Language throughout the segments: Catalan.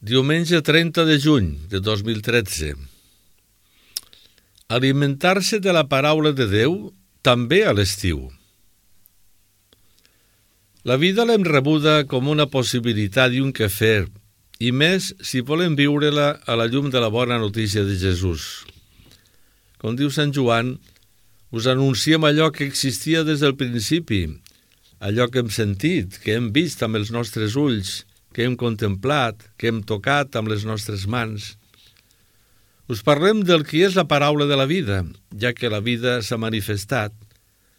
Diumenge 30 de juny de 2013. Alimentar-se de la paraula de Déu també a l'estiu. La vida l'hem rebuda com una possibilitat i un quefer, i més si volem viure-la a la llum de la bona notícia de Jesús. Com diu Sant Joan, us anunciem allò que existia des del principi, allò que hem sentit, que hem vist amb els nostres ulls, que hem contemplat, que hem tocat amb les nostres mans. Us parlem del que és la paraula de la vida, ja que la vida s'ha manifestat.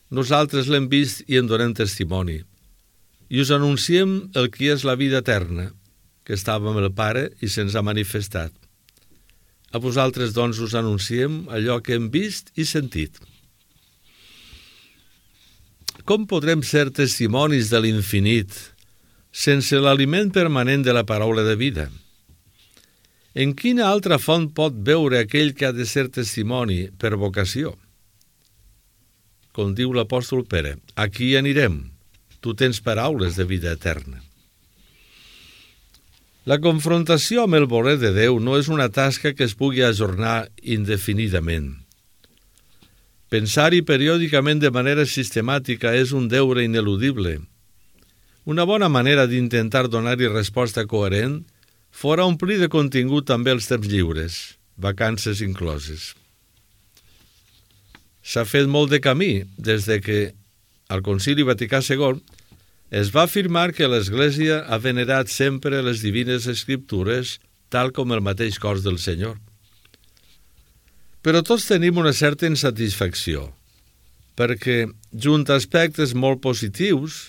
Nosaltres l'hem vist i en donem testimoni. I us anunciem el que és la vida eterna, que estava amb el Pare i se'ns ha manifestat. A vosaltres, doncs, us anunciem allò que hem vist i sentit. Com podrem ser testimonis de l'infinit sense l'aliment permanent de la paraula de vida? En quina altra font pot veure aquell que ha de ser testimoni per vocació? Com diu l'apòstol Pere, aquí anirem, tu tens paraules de vida eterna. La confrontació amb el voler de Déu no és una tasca que es pugui ajornar indefinidament. Pensar-hi periòdicament de manera sistemàtica és un deure ineludible. Una bona manera d'intentar donar-hi resposta coherent fora omplir de contingut també els temps lliures, vacances incloses. S'ha fet molt de camí des de que, al Concili Vaticà II, es va afirmar que l'Església ha venerat sempre les divines escriptures tal com el mateix cos del Senyor. Però tots tenim una certa insatisfacció, perquè, junt a aspectes molt positius,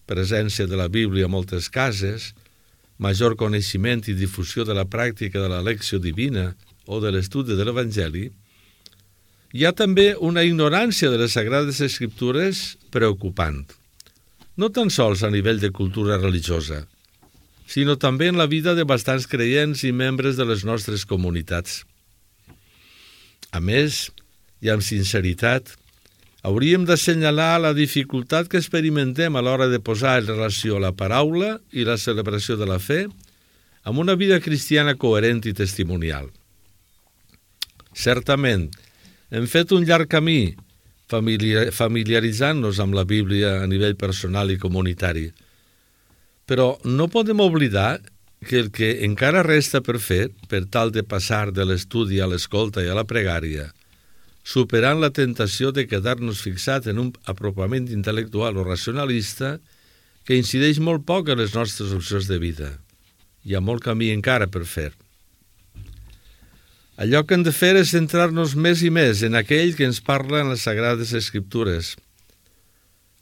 presència de la Bíblia a moltes cases, major coneixement i difusió de la pràctica de la lecció divina o de l'estudi de l'Evangeli, hi ha també una ignorància de les Sagrades Escriptures preocupant, no tan sols a nivell de cultura religiosa, sinó també en la vida de bastants creients i membres de les nostres comunitats. A més, i amb sinceritat, hauríem d'assenyalar la dificultat que experimentem a l'hora de posar en relació la paraula i la celebració de la fe amb una vida cristiana coherent i testimonial. Certament, hem fet un llarg camí familiaritzant-nos amb la Bíblia a nivell personal i comunitari, però no podem oblidar que el que encara resta per fer, per tal de passar de l'estudi a l'escolta i a la pregària, superant la tentació de quedar-nos fixat en un apropament intel·lectual o racionalista que incideix molt poc en les nostres opcions de vida. Hi ha molt camí encara per fer. Allò que hem de fer és centrar-nos més i més en aquell que ens parla en les Sagrades Escriptures.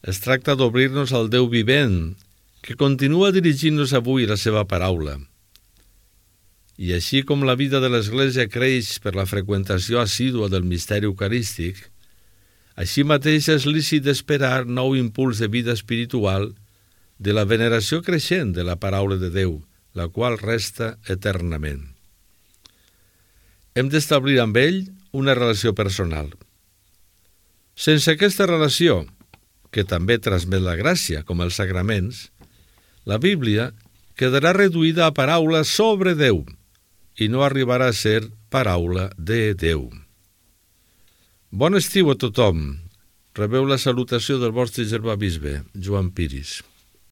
Es tracta d'obrir-nos al Déu vivent, que continua dirigint-nos avui la seva paraula. I així com la vida de l'Església creix per la freqüentació assídua del misteri eucarístic, així mateix és lícit d'esperar nou impuls de vida espiritual de la veneració creixent de la paraula de Déu, la qual resta eternament. Hem d'establir amb ell una relació personal. Sense aquesta relació, que també transmet la gràcia, com els sagraments, la Bíblia quedarà reduïda a paraula sobre Déu, i no arribarà a ser paraula de Déu. Bon estiu a tothom. Rebeu la salutació del vostre germà bisbe, Joan Piris.